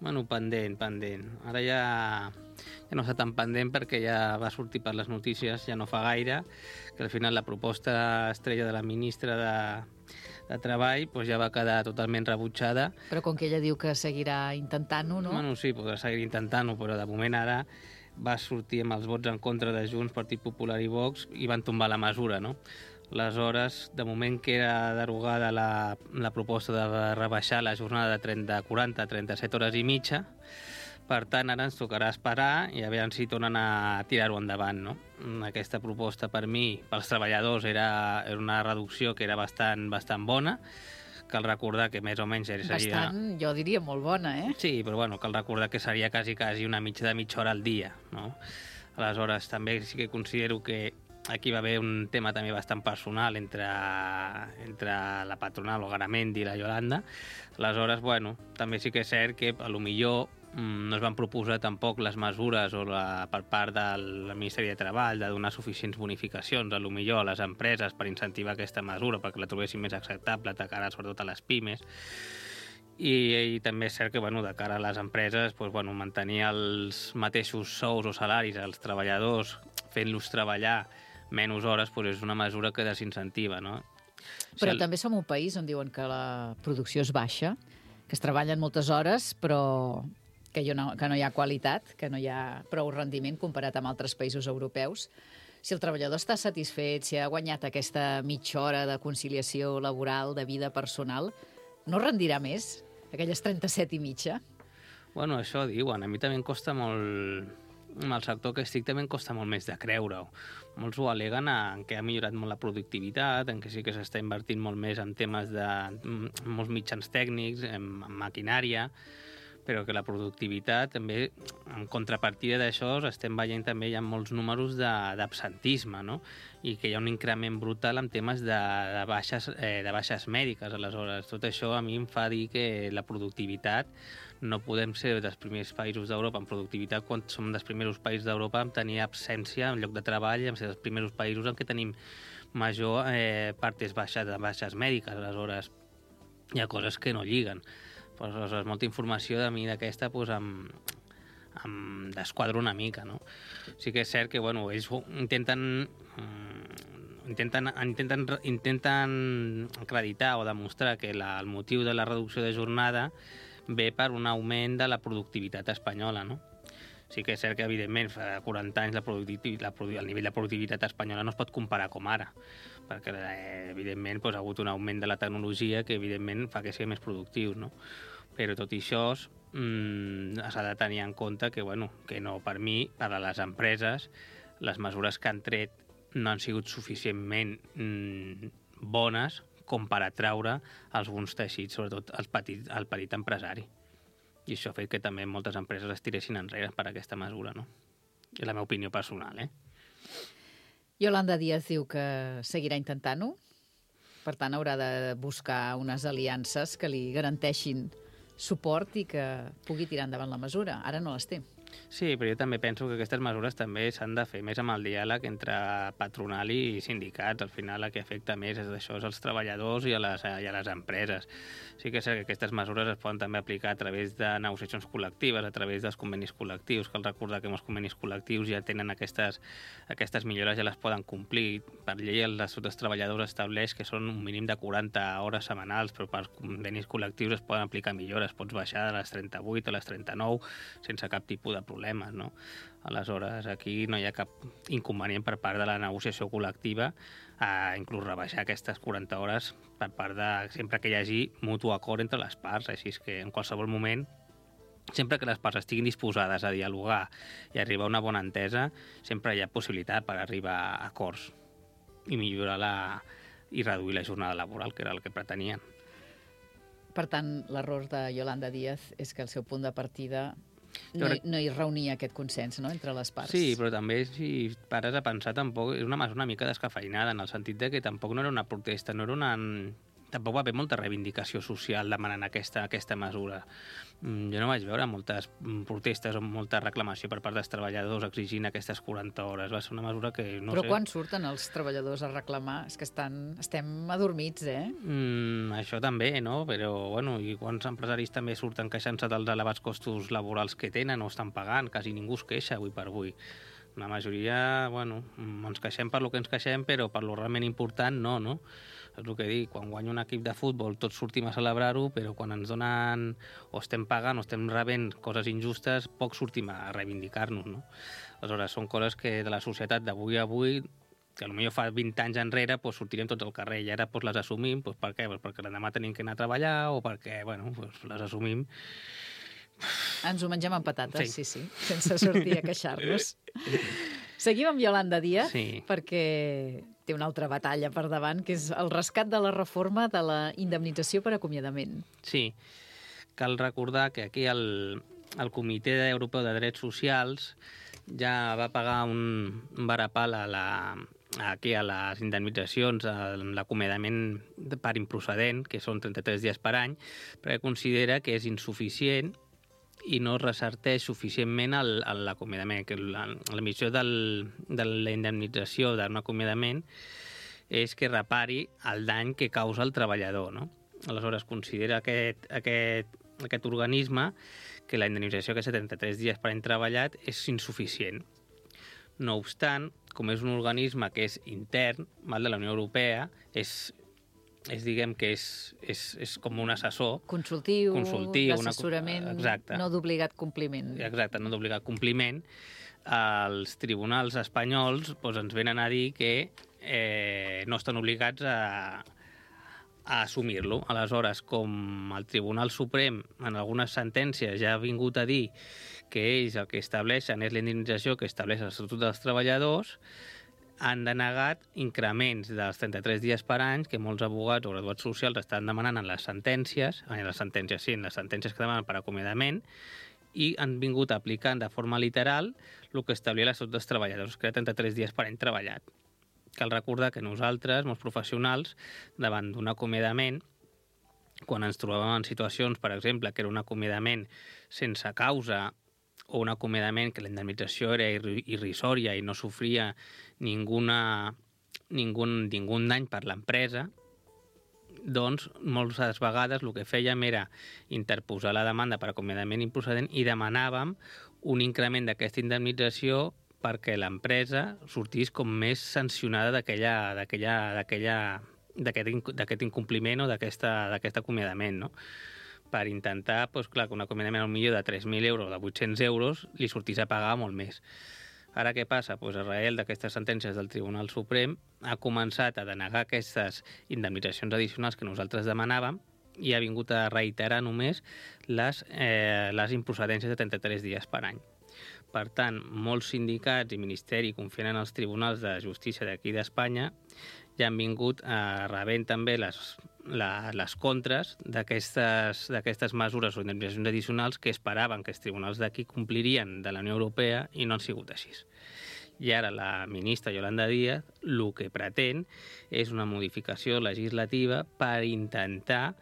Bueno, pendent. Ara ja no està tan pendent perquè ja va sortir per les notícies, ja no fa gaire, que al final la proposta estrella de la ministra de Treball doncs ja va quedar totalment rebutjada. Però com que ella diu que seguirà intentant-ho, no? Bueno, sí, podrà seguir intentant-ho, però de moment ara va sortir amb els vots en contra de Junts, Partit Popular i Vox i van tombar la mesura, no? Aleshores, de moment que era derogada la proposta de rebaixar la jornada de 40 a 37 hores i mitja, per tant, ara ens tocarà esperar i a veure si tornen a tirar-ho endavant, no? Aquesta proposta, per mi, pels treballadors, era una reducció que era bastant bona. Cal recordar que més o menys seria... Bastant, jo diria molt bona, eh? Sí, però bueno, cal recordar que seria quasi una mitja hora al dia, no? Aleshores, també sí que considero que aquí va haver un tema també bastant personal entre la patronal, el Garamendi i la Yolanda. Aleshores, bueno, també sí que és cert que a lo millor no es van proposar tampoc les mesures per part del Ministeri de Treball de donar suficients bonificacions a lo millor a les empreses per incentivar aquesta mesura perquè la trobessin més acceptable de cara sobretot a les pimes. I també és cert que de cara a les empreses mantenir els mateixos sous o salaris als treballadors fent-los treballar menys hores és una mesura que desincentiva, no? Però també som un país on diuen que la producció és baixa, que es treballen moltes hores però que no hi ha qualitat, que no hi ha prou rendiment comparat amb altres països europeus. Si el treballador està satisfet, si ha guanyat aquesta mitja hora de conciliació laboral, de vida personal, no rendirà més, aquelles 37 i mitja? Bueno, això diuen. A mi també em costa molt... Amb el sector que estic també em costa molt més de creure-ho. Molts ho aleguen en que ha millorat molt la productivitat, en que sí que s'està invertint molt més en temes de molts mitjans tècnics, en maquinària, però que la productivitat també, en contrapartida d'això, estem veient també hi ha molts números d'absentisme, no? I que hi ha un increment brutal en temes de baixes mèdiques. Aleshores, tot això a mi em fa dir que la productivitat no podem ser dels primers països d'Europa en productivitat quan som dels primers països d'Europa en tenir absència en lloc de treball i en ser dels primers països en què tenim major partes baixes mèdiques. Aleshores, hi ha coses que no lliguen. Aleshores, molta informació de mi d'aquesta em desquadra una mica, no? Sí que és cert que, ells intenten acreditar o demostrar que el motiu de la reducció de jornada ve per un augment de la productivitat espanyola, no? Sí que és cert que, evidentment, fa 40 anys el nivell de productivitat espanyola no es pot comparar com ara, perquè, evidentment, ha hagut un augment de la tecnologia que, evidentment, fa que sigui més productiu, no? Però tot i això s'ha de tenir en compte que, que no, per mi, per a les empreses, les mesures que han tret no han sigut suficientment bones com per atraure alguns teixits, sobretot el petit empresari. I això ha fet que també moltes empreses es tiressin enrere per aquesta mesura, no? És la meva opinió personal, eh? Yolanda Díaz diu que seguirà intentant-ho, per tant haurà de buscar unes aliances que li garanteixin suport i que pugui tirar endavant la mesura. Ara no les té. Sí, però jo també penso que aquestes mesures també s'han de fer més amb el diàleg entre patronal i sindicats. Al final el que afecta més és això, als treballadors i a les empreses. Sí que és cert que aquestes mesures es poden també aplicar a través de negociacions col·lectives, a través dels convenis col·lectius. Cal recordar que els convenis col·lectius ja tenen aquestes millores, ja les poden complir. Per llei l'Estatut dels Treballadors estableix que són un mínim de 40 hores setmanals, però per convenis col·lectius es poden aplicar millores. Pots baixar de les 38 a les 39 sense cap tipus de problemes, no? Aleshores, aquí no hi ha cap inconvenient per part de la negociació col·lectiva a inclús rebaixar aquestes 40 hores per part de sempre que hi hagi mutu acord entre les parts, així que en qualsevol moment, sempre que les parts estiguin disposades a dialogar i arribar a una bona entesa, sempre hi ha possibilitat per arribar a acords i millorar i reduir la jornada laboral, que era el que pretenien. Per tant, l'error de Yolanda Díaz és que el seu punt de partida no hi reunia aquest consens, no?, entre les parts. Sí, però també, si pares a pensar, tampoc és una mesura una mica descafeinada, en el sentit de que tampoc no era una protesta, no era una... Tampoc va haver molta reivindicació social demanant aquesta mesura. Jo no vaig veure moltes protestes o molta reclamació per part dels treballadors exigint aquestes 40 hores. Va ser una mesura que no Però sé... quan surten els treballadors a reclamar? És que estem adormits, eh? Això també, no? Però, bueno, i quants empresaris també surten queixant-se dels elevats costos laborals que tenen o estan pagant? Quasi ningú es queixa avui per avui. La majoria, bueno, ens queixem per lo que ens queixem, però per lo realment important no? És el que dic, quan guanya un equip de futbol tots sortim a celebrar-ho, però quan ens donen o estem pagant o estem rebent coses injustes, poc sortim a reivindicar-nos, no? Aleshores, són coses que de la societat d'avui a avui, que potser fa 20 anys enrere doncs sortirem tots al carrer i ara doncs les assumim, doncs per què? Doncs perquè l'endemà tenim que anar a treballar o perquè, bueno, doncs les assumim. Ens ho mengem amb patates, sí, sense sortir a queixar-nos. Seguim amb Yolanda Díaz, perquè té una altra batalla per davant, que és el rescat de la reforma de la indemnització per acomiadament. Sí, cal recordar que aquí el Comitè Europeu de Drets Socials ja va pagar un varapal aquí a les indemnitzacions, a l'acomiadament per improcedent, que són 33 dies per any, perquè considera que és insuficient i no resarteix suficientment l'acomiadament, que l'emissió de la indemnització d'un acomiadament és que repari el dany que causa el treballador, no? Aleshores, considera aquest organisme que la indemnització, que és 73 dies per any treballat, és insuficient. No obstant, com és un organisme que és intern, de la Unió Europea, diguem que és com un assessor. Consultiu d'assessorament, no d'obligat compliment. Exacte, no d'obligat compliment. Els tribunals espanyols ens venen a dir que no estan obligats a assumir-lo. Aleshores, com el Tribunal Suprem en algunes sentències ja ha vingut a dir que ells el que estableixen és la indemnització que estableix l'Estatut dels Treballadors, han denegat increments dels 33 dies per any que molts abogats o graduats socials estan demanant en les sentències que demanen per acomiadament, i han vingut aplicant de forma literal el que establia l'Estatut dels Treballadors, que era 33 dies per any treballat. Cal recordar que nosaltres, molts professionals, davant d'un acomiadament, quan ens trobàvem en situacions, per exemple, que era un acomiadament sense causa o un acomiadament que la indemnització era irrisòria i no sofria ningun dany per l'empresa, doncs moltes vegades el que fèiem era interposar la demanda per acomiadament improcedent i demanàvem un increment d'aquesta indemnització perquè l'empresa sortís com més sancionada d'aquest incompliment o d'aquest acomiadament, no? Per intentar, que un acomiadament millor de 3.000 euros o de 800 euros li sortís a pagar molt més. Ara què passa? Arrel d'aquestes sentències del Tribunal Suprem ha començat a denegar aquestes indemnitzacions addicionals que nosaltres demanàvem i ha vingut a reiterar només les improcedències de 33 dies per any. Per tant, molts sindicats i ministeri confiant en els tribunals de justícia d'aquí d'Espanya ja han vingut rebent també les contres d'aquestes mesures o indemnitzacions addicionals que esperaven que els tribunals d'aquí complirien de la Unió Europea i no han sigut així. I ara la ministra Yolanda Díaz el que pretén és una modificació legislativa per intentar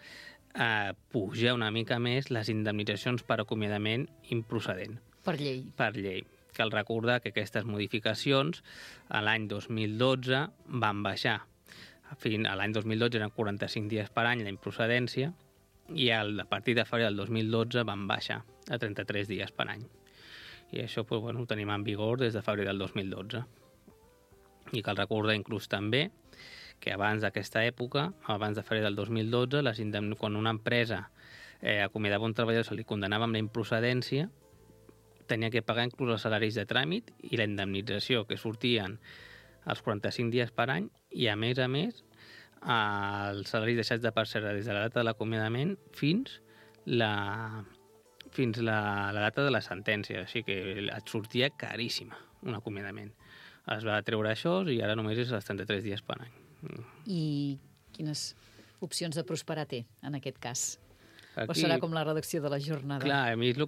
pujar una mica més les indemnitzacions per acomiadament improcedent. Per llei. Per llei. Cal recordar que aquestes modificacions l'any 2012 van baixar. L'any 2012 eren 45 dies per any la improcedència i a partir de febrer del 2012 van baixar a 33 dies per any. I això ho tenim en vigor des de febrer del 2012. I cal recordar inclús també que abans d'aquesta època, abans de febrer del 2012, quan una empresa acomiadava un treballador se li condenava amb la improcedència, tenia que pagar inclús els salaris de tràmit i la indemnització que sortien als 45 dies per any i, a més, els salaris deixats de percebre des de la data de l'acomiadament fins la data de la sentència. Així que et sortia caríssima un acomiadament. Es va treure això i ara només és els 33 dies per any. I quines opcions de prosperar té, en aquest cas? Aquí, o serà com la reducció de la jornada? Clar, a mi és el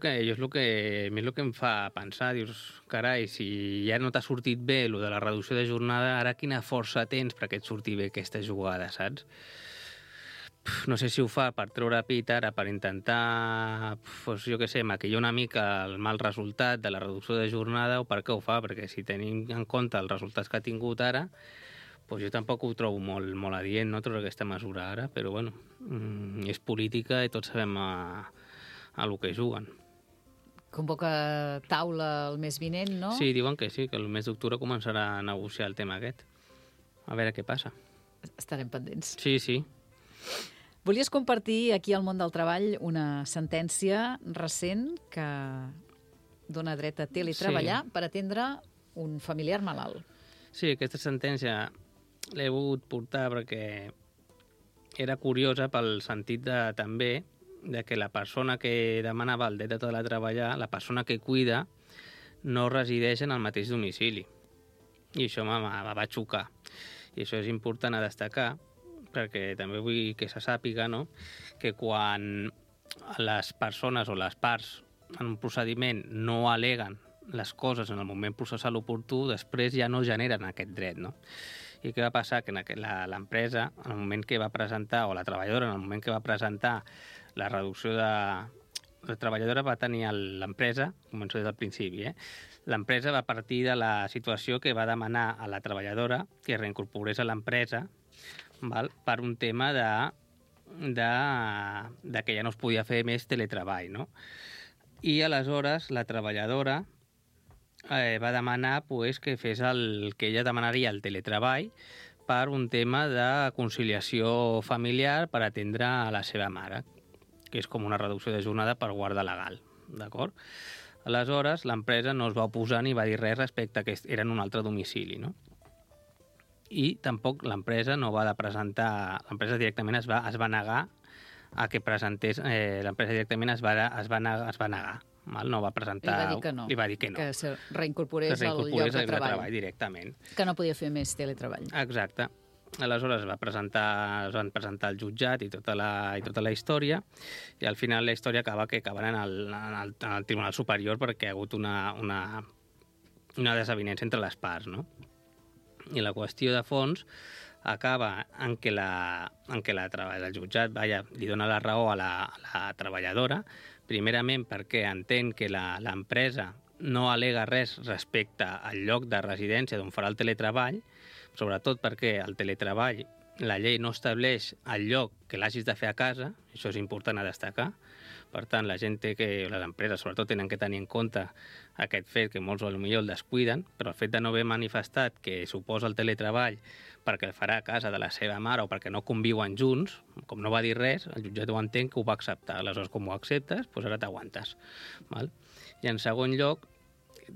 que em fa pensar. Dius, carai, si ja no t'ha sortit bé el de la reducció de jornada, ara quina força tens perquè et surti bé aquesta jugada, saps? No sé si ho fa per treure pit ara, per intentar, jo què sé, maquillar una mica el mal resultat de la reducció de jornada, o per què ho fa, perquè si tenim en compte els resultats que ha tingut ara, jo tampoc ho trobo molt adient, no, treure aquesta mesura ara, però bueno, és política i tots sabem a lo que juguen. Convoca taula el mes vinent, no? Sí, diuen que sí, que el mes d'octubre començarà a negociar el tema aquest. A veure què passa. Estarem pendents. Sí. Volies compartir aquí al món del treball una sentència recent que dona dret a teletreballar per atendre un familiar malalt. Sí, aquesta sentència l'he volgut portar perquè era curiosa pel sentit també de que la persona que demanava el dret a teletreballar, la persona que cuida, no resideix en el mateix domicili. I això va xocar. I això és important a destacar, perquè també vull que se sàpiga, no?, que quan les persones o les parts en un procediment no aleguen les coses en el moment processal oportú, després ja no generen aquest dret, no? I què va passar? Que l'empresa, en el moment que va presentar, o la treballadora, en el moment que va presentar la reducció de... La treballadora va tenir l'empresa, començo des del principi, l'empresa va partir de la situació que va demanar a la treballadora que es reincorporés a l'empresa, per un tema de que ja no es podia fer més teletreball, no? I aleshores la treballadora va demanar que fes el que ella demanaria el teletreball per un tema de conciliació familiar per atendre a la seva mare, que és com una reducció de jornada per guarda legal, d'acord? Aleshores, l'empresa no es va oposar ni va dir res respecte a que era en un altre domicili, no? I tampoc l'empresa no va de presentar... L'empresa directament es va negar a que presentés... L'empresa directament es va negar. No va presentar... Li va dir que no. Que se reincorporés al lloc de treball directament. Que no podia fer més teletreball. Exacte. Aleshores es van presentar al jutjat i tota la història, i al final la història acaben en el Tribunal Superior perquè ha hagut una desavinença entre les parts, no? I la qüestió de fons acaba en que el jutjat li dona la raó a la treballadora, primerament perquè entén que l'empresa no alega res respecte al lloc de residència d'on farà el teletreball, sobretot perquè el teletreball, la llei no estableix el lloc que l'hagis de fer a casa, això és important a destacar. Per tant, les empreses sobretot tenen que tenir en compte aquest fet, que molts potser el descuiden, però el fet de no haver manifestat que suposa el teletreball perquè el farà a casa de la seva mare o perquè no conviuen junts, com no va dir res, el jutjat ho entén que ho va acceptar. Aleshores, com ho acceptes, doncs ara t'aguantes. I en segon lloc,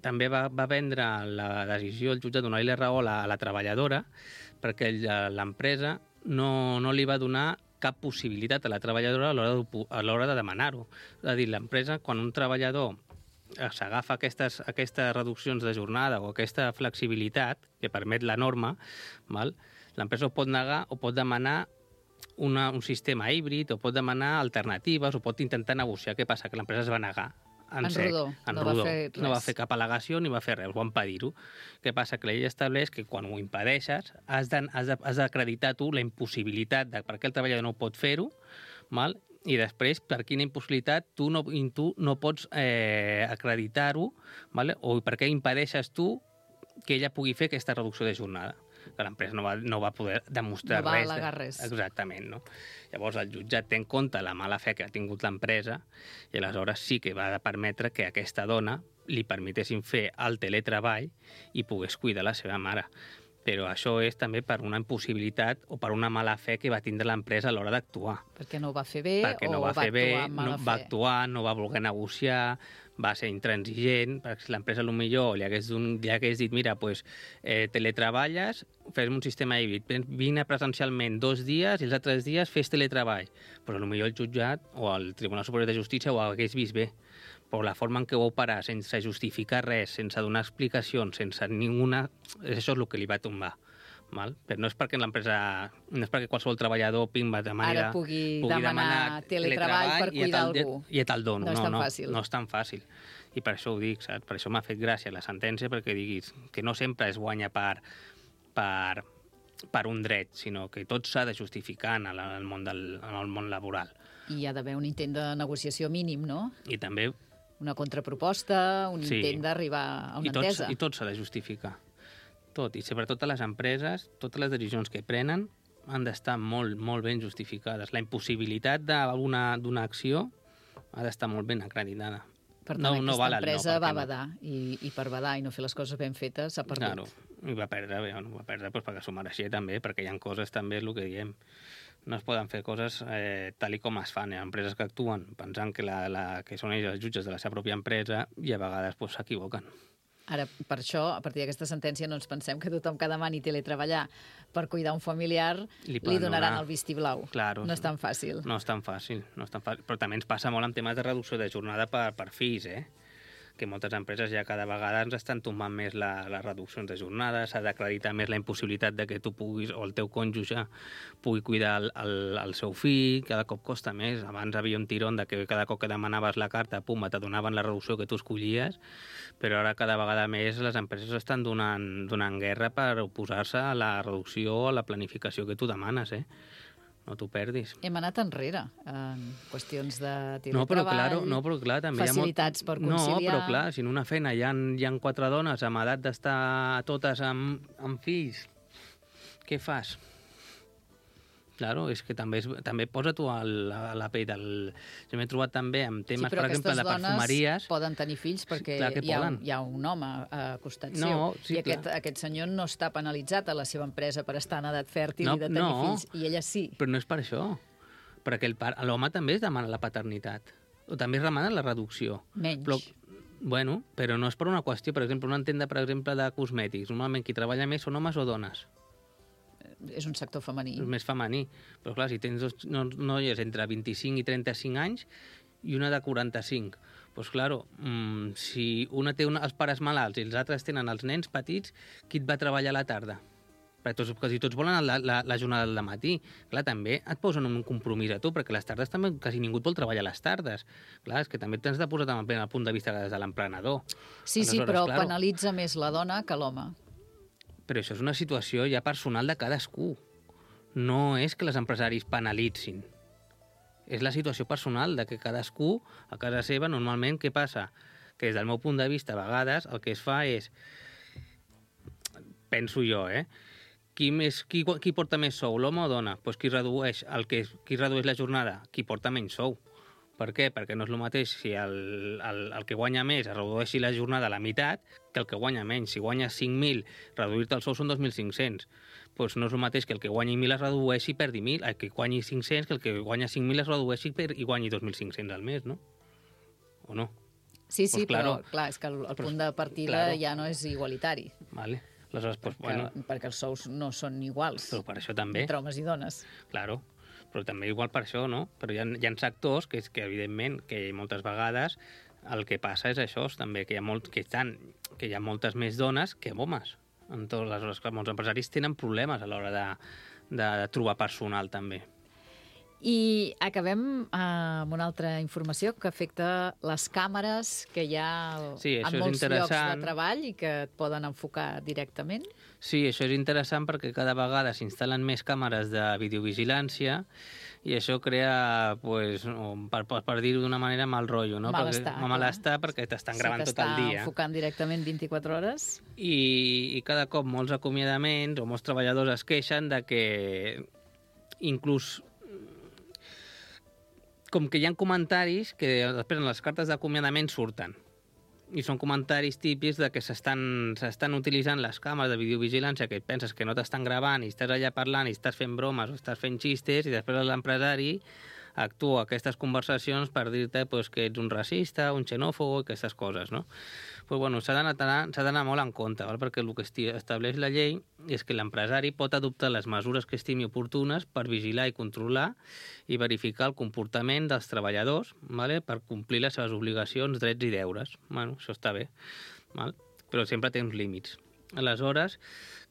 també va prendre la decisió el jutjat de donar-li raó a la treballadora perquè l'empresa no li va donar cap possibilitat a la treballadora a l'hora de demanar-ho. És a dir, l'empresa, quan un treballador s'agafa aquestes reduccions de jornada o aquesta flexibilitat que permet la norma, l'empresa ho pot negar o pot demanar un sistema híbrid, o pot demanar alternatives, o pot intentar negociar. Què passa? Que l'empresa es va negar. En rodó. No va fer cap al·legació ni va fer res, ho va impedir-ho. Què passa? Que la llei estableix que quan ho impedeixes has d'acreditar tu la impossibilitat de per què el treballador no pot fer-ho, i després per quina impossibilitat tu no pots acreditar-ho, o per què impedeixes tu que ella pugui fer aquesta reducció de jornada, que l'empresa no va poder demostrar res. No va al·legar res. Exactament, no? Llavors el jutjat té en compte la mala fe que ha tingut l'empresa i aleshores sí que va permetre que aquesta dona li permetessin fer el teletreball i pogués cuidar la seva mare. Però això és també per una impossibilitat o per una mala fe que va tindre l'empresa a l'hora d'actuar. Perquè no ho va fer bé no va actuar, no va voler negociar, va ser intransigent, perquè si l'empresa potser li hagués dit, mira, pues, teletreballes, fes un sistema híbrid, vine presencialment 2 dies i els altres dies fes teletreball. Però potser el jutjat o el Tribunal Superior de Justícia ho hagués vist bé. Però la forma en què ho va operar, sense justificar res, sense donar explicacions, sense ninguna... Això és el que li va tombar. Val? Però no és perquè l'empresa, no és perquè qualsevol treballador de manera... Ara pugui demanar teletreball per cuidar algú. I te'l dono. No és tan fàcil. No és tan fàcil. I per això ho dic, saps? Per això m'ha fet gràcia la sentència, perquè diguis que no sempre es guanya per un dret, sinó que tot s'ha de justificar en el món laboral. I hi ha d'haver un intent de negociació mínim, no? I també... Una contraproposta, un intent d'arribar a una entesa. I tot s'ha de justificar. Tot, i sobretot a les empreses, totes les decisions que prenen han d'estar molt, molt ben justificades. La impossibilitat d'una acció ha d'estar molt ben acreditada. Per tant, aquesta empresa va badar, i per badar i no fer les coses ben fetes s'ha perdut. Claro, i va perdre perquè s'ho mereixia també, perquè hi ha coses també, és el que diem, no es poden fer coses tal com es fan. Hi ha empreses que actuen pensant que són ells els jutges de la seva pròpia empresa i a vegades s'equivoquen. Ara, per això, a partir d'aquesta sentència, no ens pensem que tothom que demani teletreballar per cuidar un familiar li donaran el vistiplau. Claro, no és tan fàcil. No és tan fàcil. Però també ens passa molt en temes de reducció de jornada per fills, que moltes empreses ja cada vegada ens estan tombant més les reduccions de jornada, s'ha d'acreditar més la impossibilitat de que tu puguis, o el teu cònjuge pugui cuidar el seu fill, cada cop costa més. Abans havia un tirón de que cada cop que demanaves la carta, pum, te donaven la reducció que tu escollies, però ara cada vegada més les empreses estan donant guerra per oposar-se a la reducció, a la planificació que tu demanes, No t'ho perdis. Hem anat enrere en qüestions de teletreball, però clar, també facilitats per conciliar... No, però clar, si en una feina hi ha 4 dones amb edat d'estar totes amb fills, què fas? Claro, és que també posa tu a la pell Jo m'he trobat també amb temes, per exemple, de perfumeries... Sí, però aquestes dones poden tenir fills perquè hi ha un home a costat seu. I aquest senyor no està penalitzat a la seva empresa per estar en edat fèrtil i de tenir fills, i ella sí. Però no és per això. Perquè l'home també es demana la paternitat. O també es demana la reducció. Menys. Però no és per una qüestió, per exemple, una tenda, per exemple, de cosmètics. Normalment qui treballa més són homes o dones. És un sector femení. És més femení. Però clar, si tens dos noies entre 25 i 35 anys i una de 45, doncs clar, si una té els pares malalts i els altres tenen els nens petits, qui et va treballar a la tarda? Perquè tots volen la jornada del matí. Clar, també et posen un compromís a tu, perquè les tardes també quasi ningú et vol treballar a les tardes. Clar, és que també t'has de posar també el punt de vista des de l'emprenedor. Sí, però penalitza més la dona que l'home. Però això és una situació ja personal de cadascú. No és que els empresaris penalitzin. És la situació personal de que cadascú, a casa seva, normalment, què passa? Que des del meu punt de vista, a vegades, el que es fa és... Penso jo, Qui porta més sou, l'home o dona? Doncs qui redueix la jornada? Qui porta menys sou. Per què? Perquè no és el mateix si el que guanya més es redueixi la jornada a la meitat que el que guanya menys. Si guanyes 5.000, reduir-te el sou són 2.500. Doncs no és el mateix que el que guanyi 1.000 es redueixi i perdi 1.000, el que guanyi 500 que el que guanya 5.000 es redueixi i guanyi 2.500 al mes, no? O no? Sí, però clar, és que el punt de partida ja no és igualitari. Vale. Aleshores, perquè els sous no són iguals. Però per això també. Entre homes i dones. Claro. Però també igual per això, no? Però hi ha sectors que evidentment, que moltes vegades el que passa és això, també, que hi ha moltes més dones que homes. En totes les hores, molts empresaris tenen problemes a l'hora de trobar personal, també. I acabem amb una altra informació que afecta les càmeres que hi ha en molts llocs de treball i que et poden enfocar directament. Sí, això és interessant perquè cada vegada s'instal·len més càmeres de videovigilància i això crea, per dir-ho d'una manera, mal rotllo, no? Malestar, perquè t'estan gravant tot el dia. S'està enfocant directament 24 hores. I cada cop molts acomiadaments o molts treballadors es queixen de que inclús com que hi ha comentaris que després en les cartes d'acomiadament surten. I són comentaris típics de que s'estan utilitzant les càmeres de videovigilància que et penses que no t'estan gravant i estàs allà parlant i estàs fent bromes o estàs fent xistes i després l'empresari actua aquestes conversacions per dir-te pues, que ets un racista, un xenòfob, aquestes coses, no? Pues, bueno, s'ha d'anar molt en compte, val? Perquè el que estableix la llei és que l'empresari pot adoptar les mesures que estimi oportunes per vigilar i controlar i verificar el comportament dels treballadors, vale? Per complir les seves obligacions, drets i deures. Bueno, això està bé, val? Però sempre té uns límits. Aleshores,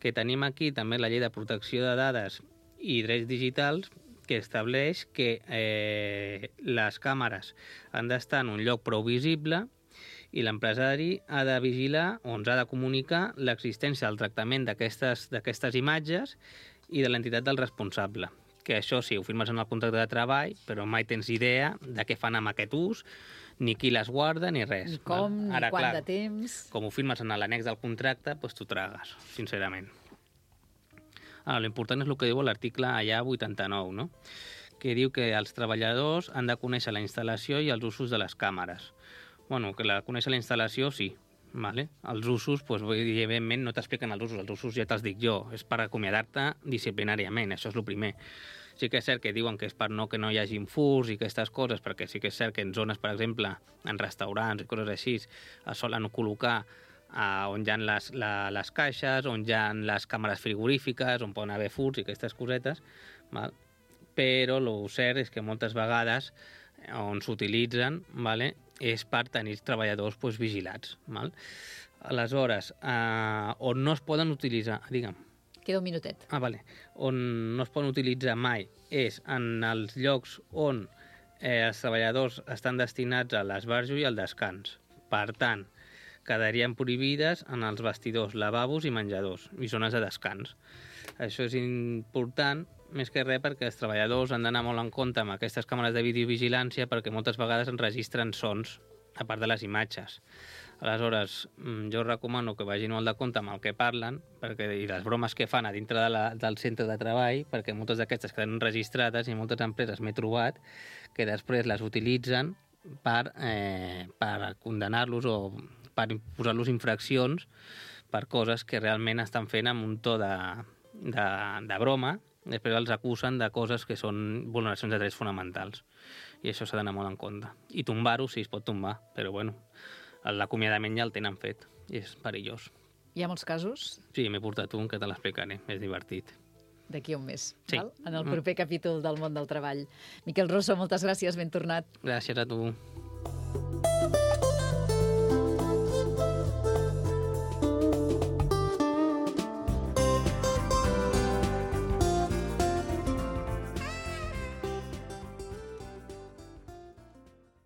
que tenim aquí també la llei de protecció de dades i drets digitals, que estableix que les càmeres han d'estar en un lloc prou visible i l'empresari ha de vigilar o ens ha de comunicar l'existència del tractament d'aquestes imatges i de l'entitat del responsable. Que això sí, ho firmes en el contracte de treball, però mai tens idea de què fan amb aquest ús, ni qui les guarda, ni res. Ni com, ni ara, quant clar, de temps. Com ho firmes en l'annex del contracte, doncs t'ho tragues, sincerament. Ara, l'important és el que diu l'article allà 89, no? Que diu que els treballadors han de conèixer la instal·lació i els usos de les càmeres. Bueno, que conèixer la instal·lació, sí. Vale? Els usos, doncs, evidentment, no t'expliquen els usos ja te'ls dic jo, és per acomiadar-te disciplinàriament, això és el primer. Sí que és cert que diuen que és per que no hi hagi furs i aquestes coses, perquè sí que és cert que en zones, per exemple, en restaurants i coses així, es solen col·locar on hi ha les caixes, on hi ha les càmeres frigorífiques, on poden haver furs i aquestes cosetes, val? Però el cert és que moltes vegades on s'utilitzen, vale, és per tenir treballadors vigilats. Val? Aleshores, on no es poden utilitzar... Digue'm. Queda un minutet. Vale. On no es poden utilitzar mai és en els llocs on els treballadors estan destinats a l'esbarjo i al descans. Per tant, quedarien prohibides en els vestidors, lavabos i menjadors, i zones de descans. Això és important, més que res perquè els treballadors han d'anar molt en compte amb aquestes càmeres de videovigilància perquè moltes vegades enregistren sons, a part de les imatges. Aleshores, jo recomano que vagin molt de compte amb el que parlen i les bromes que fan a dintre del centre de treball, perquè moltes d'aquestes queden enregistrades i moltes empreses m'he trobat que després les utilitzen per condenar-los o per posar-los infraccions per coses que realment estan fent amb un to de broma. Després els acusen de coses que són vulneracions de drets fonamentals. I això s'ha d'anar molt en compte. I tombar-ho, sí, es pot tombar, però bueno, l'acomiadament ja el tenen fet i és perillós. Hi ha molts casos? Sí, m'he portat un que te l'explicaré, és divertit. D'aquí a un mes, sí. Val? En el proper capítol del món del treball. Miquel Rosso, moltes gràcies, ben tornat. Gràcies a tu.